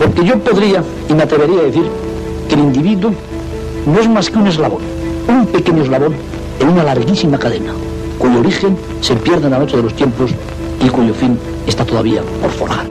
Porque yo podría, y me atrevería a decir, que el individuo no es más que un eslabón, un pequeño eslabón en una larguísima cadena, cuyo origen se pierde en la noche de los tiempos y cuyo fin está todavía por forjar.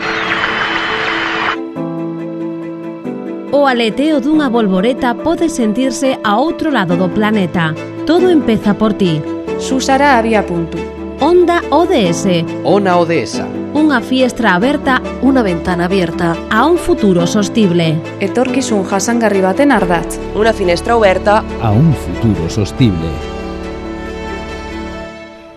O aleteo dunha bolboreta pode sentirse a outro lado do planeta. Todo empeza por ti. Susara había punto. Onda ODS. Ona ODS. Unha fiestra aberta, unha ventana abierta a un futuro sostible. Etorkizun jasangarri baten ardatz. Unha finestra aberta a un futuro sostible.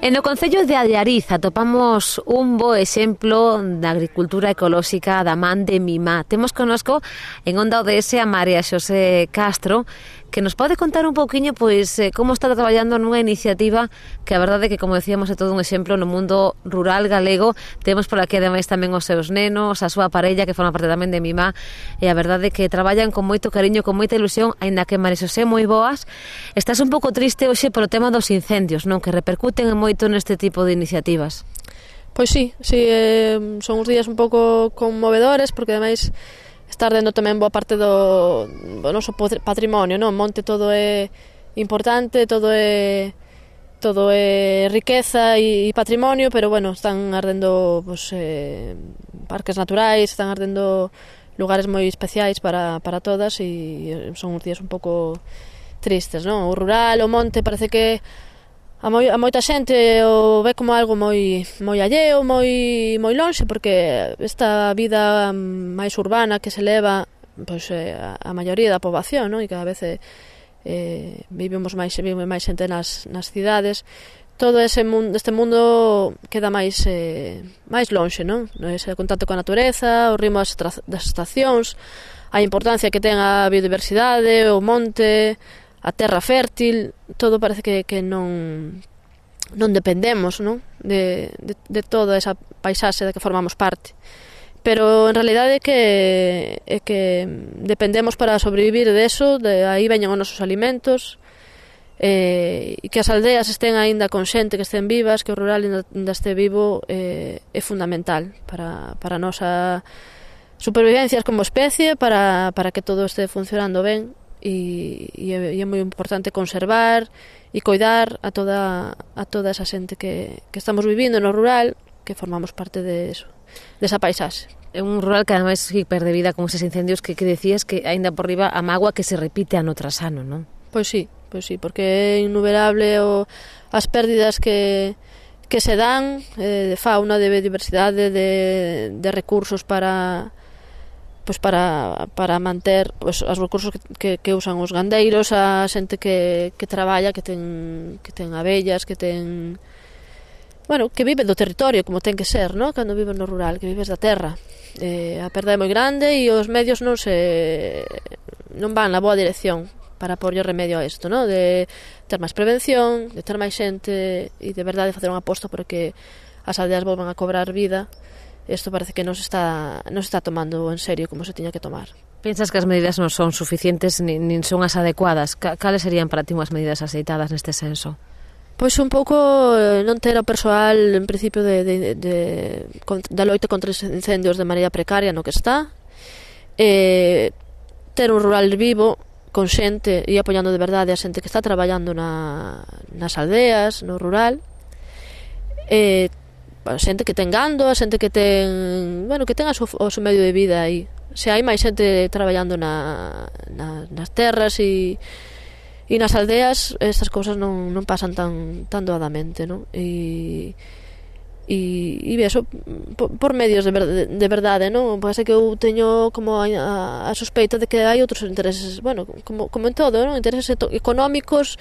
E no concello de Allariz atopamos un bo exemplo da agricultura ecolóxica da man de Mimá. Temos connosco en Onda ODS a María Xosé Castro, que nos pode contar un pouquiño pois como está traballando nunha iniciativa que a verdade é que, como decíamos, é todo un exemplo no mundo rural galego. Temos por aquí ademais tamén os seus nenos, a súa parella que forma parte tamén de Mimá, e a verdade é que traballan con moito cariño, con moita ilusión, aínda que, María Xosé, moi boas. Estás un pouco triste hoxe polo tema dos incendios, non? Que repercuten moito neste tipo de iniciativas. Pois sí, son uns días un pouco conmovedores, porque ademais está ardendo tamén boa parte do noso patrimonio, non? Monte todo é importante, todo é riqueza e patrimonio, pero bueno, están ardendo parques naturais, están ardendo lugares moi especiais para todas, e son uns días un pouco tristes, non? O rural, o monte, parece que a moita xente o ve como algo moi alleo, moi lonxe, porque esta vida máis urbana que se leva, pois a maioría da poboación, non? E cada vez vive máis xente nas cidades. Todo este mundo queda máis lonxe, non? Ese contacto coa natureza, o ritmo das estacións, a importancia que ten a biodiversidade, o monte, a terra fértil, todo parece que non dependemos, non? De toda esa paisaxe da que formamos parte. Pero en realidade é que dependemos para sobrevivir deso, aí veñen os nosos alimentos, e que as aldeas estén aínda con xente, que estén vivas, que o rural ainda este vivo, é fundamental para a nosa supervivencia como especie, para que todo este funcionando ben. E é moi importante conservar e coidar a toda esa xente que estamos vivindo no rural, que formamos parte desa paisaxe. É un rural que ademais hiper de vida con eses incendios que decías que aínda por riba a mágoa que se repite ano tras ano, non? Pois sí, porque é innumerable as pérdidas que se dan de fauna, de biodiversidade, de recursos para manter os recursos que usan os gandeiros, a xente que traballa, que ten abellas, que ten, bueno, que vive do territorio como ten que ser, non? Cando vives no rural, que vives da terra. A perda é moi grande e os medios non van na boa dirección para porlle remedio a isto, non? De ter máis prevención, de ter máis xente e de verdade facer unha aposta por que as aldeas volvan a cobrar vida. Isto parece que non se está tomando en serio como se tiña que tomar. Pensas que as medidas non son suficientes nin son as adecuadas? Cales serían para ti unhas medidas aceitadas neste senso? Pois un pouco non ter o persoal en principio da loita contra os incendios de maneira precaria no que está, ter un rural vivo con xente e apoiando de verdade a xente que está traballando nas aldeas, no rural, a xente que ten gando, a xente que ten, bueno, que ten o seu medio de vida aí. Se hai máis xente traballando nas terras e nas aldeas, estas cousas non pasan tan doadamente, non? E eso por medios de verdade, non? Pode ser que eu teño como a sospeita de que hai outros intereses, bueno, como en todo, non? Intereses económicos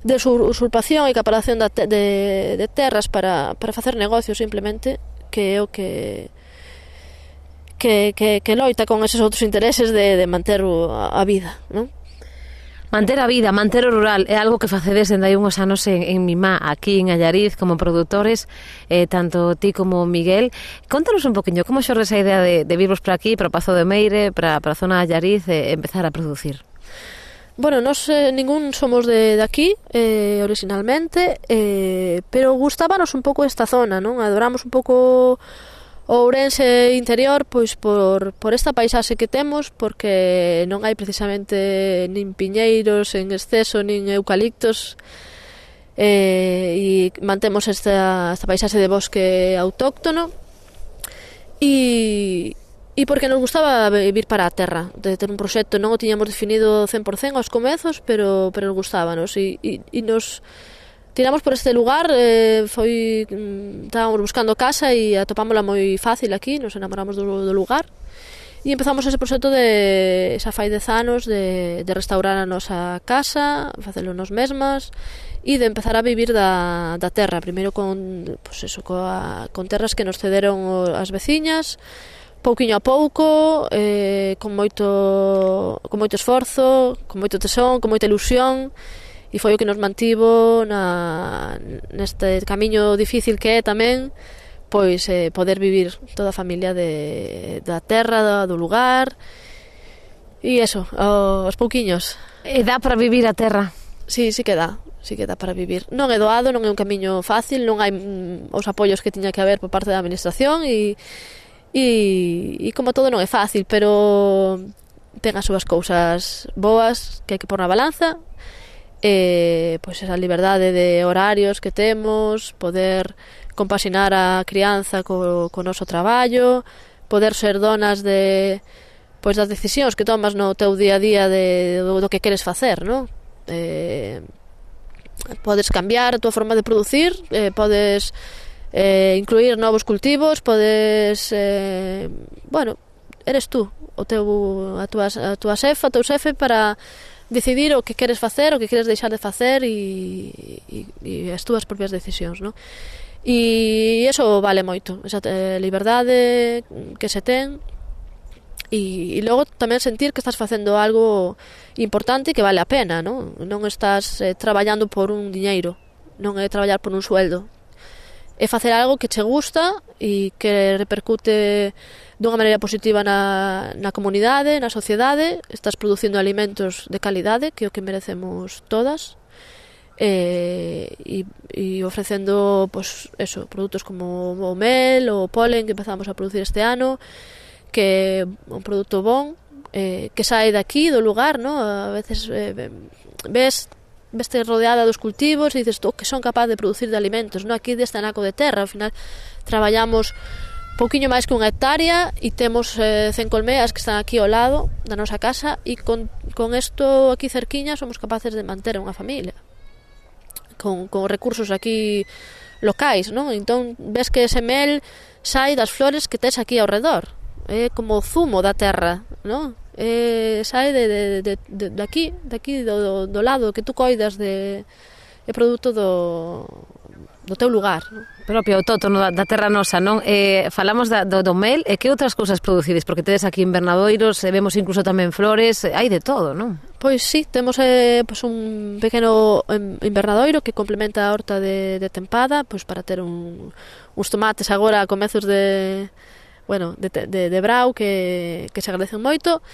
de usurpación e acaparación de terras para facer negocios simplemente, que é o que loita con eses outros intereses de manter a vida, non? Manter a vida, manter o rural é algo que facedes dende hai uns anos en Mimá, aquí en Allariz, como produtores, tanto ti como Miguel. Contanos un poquinho, como xorde esa idea de virvos para aquí, para o Pazo de Meire, para a zona de Allariz, empezar a producir? Bueno, nós ningún somos de aquí, originalmente, pero gustábanos un pouco esta zona, non? Adoramos un pouco O Ourense interior, pois por esta paisaxe que temos, porque non hai precisamente nin piñeiros en exceso, nin eucaliptos, e mantemos esta paisaxe de bosque autóctono, e porque nos gustaba vivir para a terra, de ter un proxecto, non o tiñamos definido 100% aos comezos, pero nos gustábanos, e nos tiramos por este lugar. Estábamos buscando casa e atopámola moi fácil aquí, nos enamoramos do lugar e empezamos ese proxecto de xa fai 10 anos de restaurar a nosa casa, facelo nos mesmas e de empezar a vivir da terra, primeiro con terras que nos cederon as veciñas, pouquiño a pouco, con moito esforzo, con moito tesón, con moita ilusión. E foi o que nos mantivo neste camiño difícil que é tamén, pois poder vivir toda a familia da terra, do lugar, e eso, aos pouquiños. E dá para vivir a terra? Sí que dá para vivir. Non é doado, non é un camiño fácil, non hai os apoios que tiña que haber por parte da administración, e como todo non é fácil, pero ten as súas cousas boas que hai que pôr na balanza. Pois esa liberdade de horarios que temos, poder compaxinar a crianza co noso traballo, poder ser donas das decisións que tomas no teu día a día do que queres facer, non? Podes cambiar a tua forma de producir, podes incluir novos cultivos, podes eres tú a tua xefa, o teu xefe, para decidir o que queres facer, o que queres deixar de facer, e as túas propias decisións, non? E iso vale moito, esa liberdade que se ten, e logo tamén sentir que estás facendo algo importante e que vale a pena, non? Non estás traballando por un diñeiro, non é traballar por un sueldo, é facer algo que che gusta e que repercute dunha maneira positiva na comunidade, na sociedade. Estás producindo alimentos de calidade, que é o que merecemos todas, e ofrecendo produtos como o mel, o polen que empezamos a producir este ano, que é un produto bon, que sae daqui, do lugar, ¿no? A veces veste rodeada dos cultivos e dices, que son capaz de producir de alimentos, ¿no? Aquí deste anaco de terra, ao final traballamos pouquiño máis que unha hectárea e temos 100 colmeas que están aquí ao lado da nosa casa, e con isto aquí cerquiña somos capaces de manter unha familia con recursos aquí locais, non? Entón ves que ese mel sai das flores que tes aquí ao redor, é como o zumo da terra, non? Sai de aquí do lado que tú coidas, é produto do teu lugar, non? Propio autóctono da terra nosa, non? Falamos do mel, e que outras cousas producides? Porque tedes aquí invernadoiros, vemos incluso tamén flores, hai de todo, non? Pois sí, temos un pequeno invernadoiro que complementa a horta de tempada, pois para ter uns tomates agora a comezos de brau que se agradecen moito.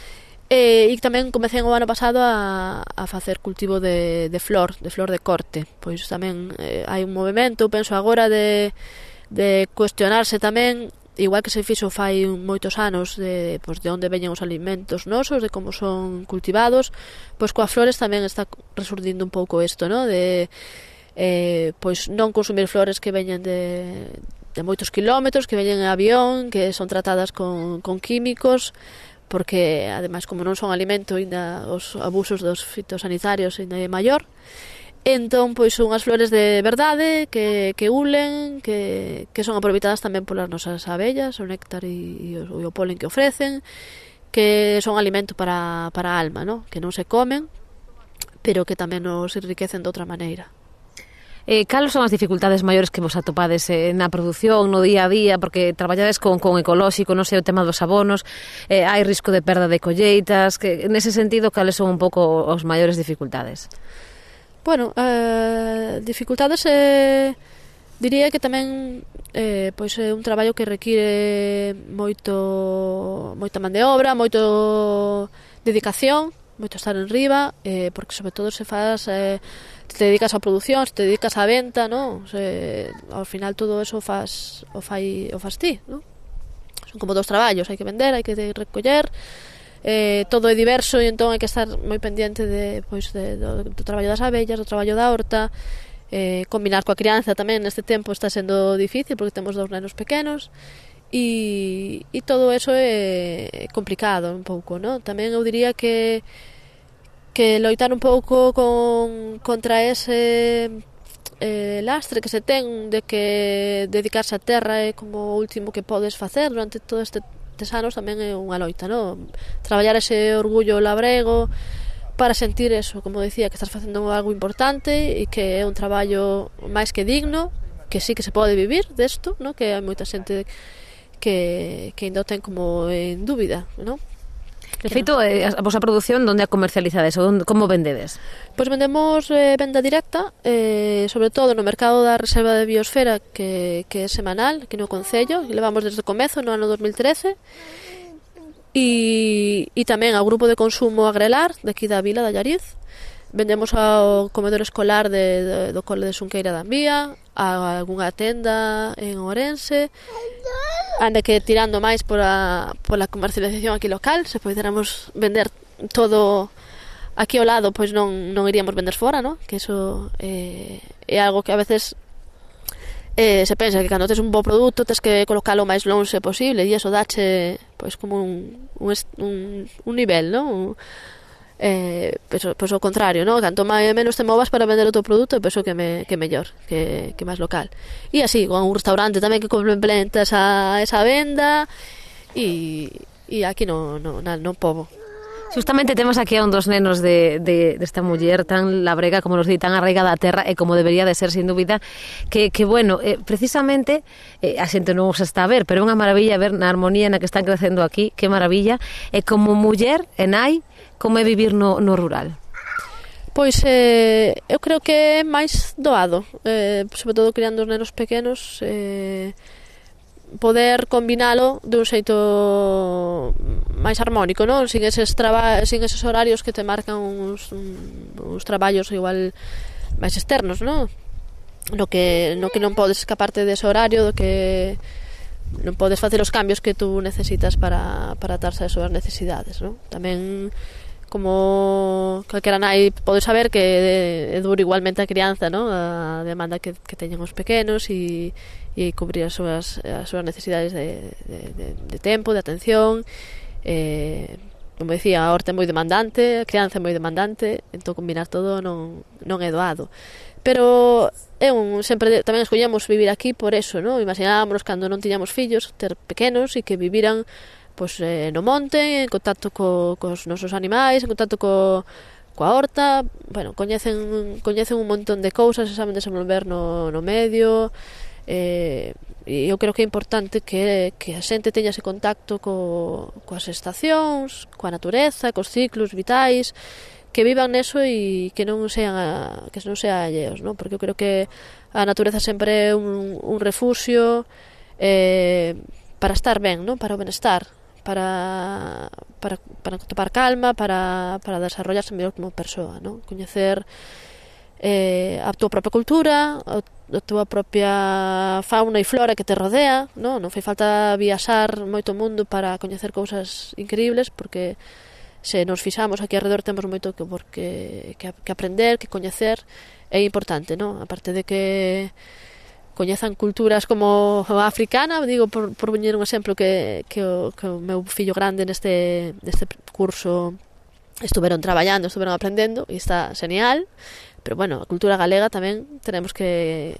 E tamén comecei o ano pasado a facer cultivo de flor de corte. Pois tamén hai un movimento, penso agora, de cuestionarse tamén, igual que se fixo fai moitos anos, de onde veñen os alimentos nosos, de como son cultivados. Pois coas flores tamén está resurdindo un pouco isto, ¿no? De non consumir flores que veñen de moitos kilómetros, que veñen en avión, que son tratadas con químicos, porque ademais como non son alimento, ainda os abusos dos fitosanitarios ainda é maior. Entón, pois son unhas flores de verdade que ulen, que son aproveitadas tamén polas nosas abellas, o néctar e o polen que ofrecen, que son alimento para a alma, ¿no? Que non se comen, pero que tamén nos enriquecen de outra maneira. Cales son as dificultades maiores que vos atopades na produción, no día a día, porque traballades con ecolóxico, non sei, o tema dos abonos, hai risco de perda de colleitas, que nese sentido, cales son un pouco os maiores dificultades? Bueno, dificultades diría que tamén pois é un traballo que require moita man de obra, moito dedicación, moito estar en riba, porque sobre todo se faz, te dedicas á produción, te dedicas á venta, ¿no? Ao final todo eso o fas ti, ¿no? son como 2 traballos, hai que vender, hai que recoller, todo é diverso e entón hai que estar moi pendiente do traballo das abellas, do traballo da horta, combinar coa crianza tamén neste tempo está sendo difícil porque temos 2 nenos pequenos e todo eso é complicado un pouco, ¿no? Tamén eu diría que loitar un pouco contra ese lastre que se ten de que dedicarse á terra é como o último que podes facer durante todo estes anos, tamén é unha loita, ¿no? Traballar ese orgullo labrego para sentir eso, como decía, que estás facendo algo importante e que é un traballo máis que digno, que sí que se pode vivir desto, ¿no? Que hai moita xente que ainda o ten como en dúbida, ¿no? De feito, a vosa produción, onde a comercializades ou como vendedes? Pois vendemos venda directa, sobre todo no mercado da Reserva de Biosfera, que é semanal, aquí no Concello, que levamos desde o comezo, no ano 2013, e tamén ao grupo de consumo Agrelar, de aquí da vila da Allariz. Vendemos ao comedor escolar do Cole de Xunqueira da Envía, a algunha tenda en Ourense, anda que tirando máis pola comercialización aquí local, se poderamos vender todo aquí ao lado, pois non iríamos vender fora, ¿no? Que eso é algo que a veces se pensa que cando tes un bo produto tes que colocalo o máis lonxe posible e iso dache pois como un nivel, ¿no? Pois o contrario, ¿no? Canto menos te movas para vender o teu produto, penso que mellor, que máis local. E así, con un restaurante tamén que complementa esa venda e aquí no pobo. Justamente temos aquí a un dos nenos desta muller tan labrega, como nos di, tan arraigada á terra e como debería de ser, sin dúbida, que bueno, precisamente a xente non os está a ver, pero é unha maravilla ver na armonía na que están crecendo aquí, que maravilla, e como muller e nai, como é vivir no rural? Pois eu creo que é máis doado, sobre todo criando os nenos pequenos, poder combinalo de un xeito máis armónico, non? Sin eses horarios que te marcan uns traballos igual máis externos, non? No que non podes escaparte dese horario, do que non podes facer os cambios que tú necesitas para atarse a súas necesidades, non? Tamén, como calquera nai pode saber que é duro igualmente a crianza, non? A demanda que teñen os pequenos e cubrir as súas necesidades de tempo, de atención, como decía, a horta é moi demandante, a crianza é moi demandante, entón combinar todo non é doado. Pero sempre tamén escollemos vivir aquí por eso, non? Imaginámonos cando non tiñamos fillos, ter pequenos e que viviran pois no monte, en contacto cos nosos animais, en contacto coa horta, bueno, coñecen un montón de cousas, se saben desenvolver no medio, e eu creo que é importante que a xente teña ese contacto coas estacións, coa natureza, cos ciclos vitais, que vivan neso e que non sean alleos, ¿no? Porque eu creo que a natureza sempre é un refuxio para estar ben, ¿no? Para o benestar, para topar calma, para desarrollarse mellor como persoa, ¿no? Coñecer a túa propia cultura, a túa propia fauna e flora que te rodea, ¿no? Non fai falta viaxar moito mundo para coñecer cousas increíbles, porque se nos fixamos aquí alrededor temos moito que aprender, que coñecer, é importante, ¿no? Aparte de que coñezan culturas como a africana, digo, por poñer un exemplo que o meu fillo grande neste curso estuveron traballando, estuveron aprendendo e está genial, pero bueno, a cultura galega tamén tenemos que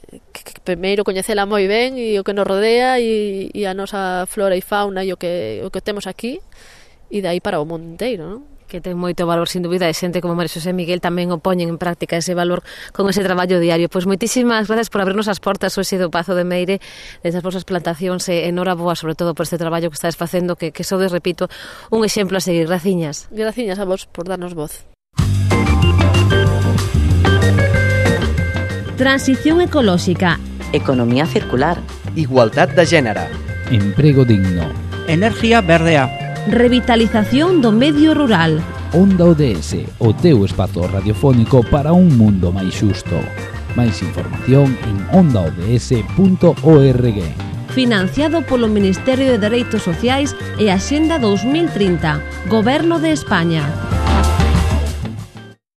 primeiro coñecela moi ben e o que nos rodea e a nosa flora e fauna e o que temos aquí e dai para o mundo inteiro, non? Que ten moito valor, sin dúbida, e xente como María Xosé Miguel tamén o poñen en práctica ese valor con ese traballo diario. Pois moitísimas gracias por abrirnos as portas hoxe do Pazo de Meire, desas vosas plantacións, e enhoraboa sobre todo por este traballo que estades facendo, que sodes, repito, un exemplo a seguir. Graciñas. Graciñas a vos por darnos voz. Transición ecolóxica, economía circular, igualdad de género, emprego digno, energía verdea, revitalización do medio rural. Onda ODS, o teu espazo radiofónico para un mundo máis xusto. Máis información en ondaods.org. financiado polo Ministerio de Dereitos Sociais e Axenda 2030, Goberno de España.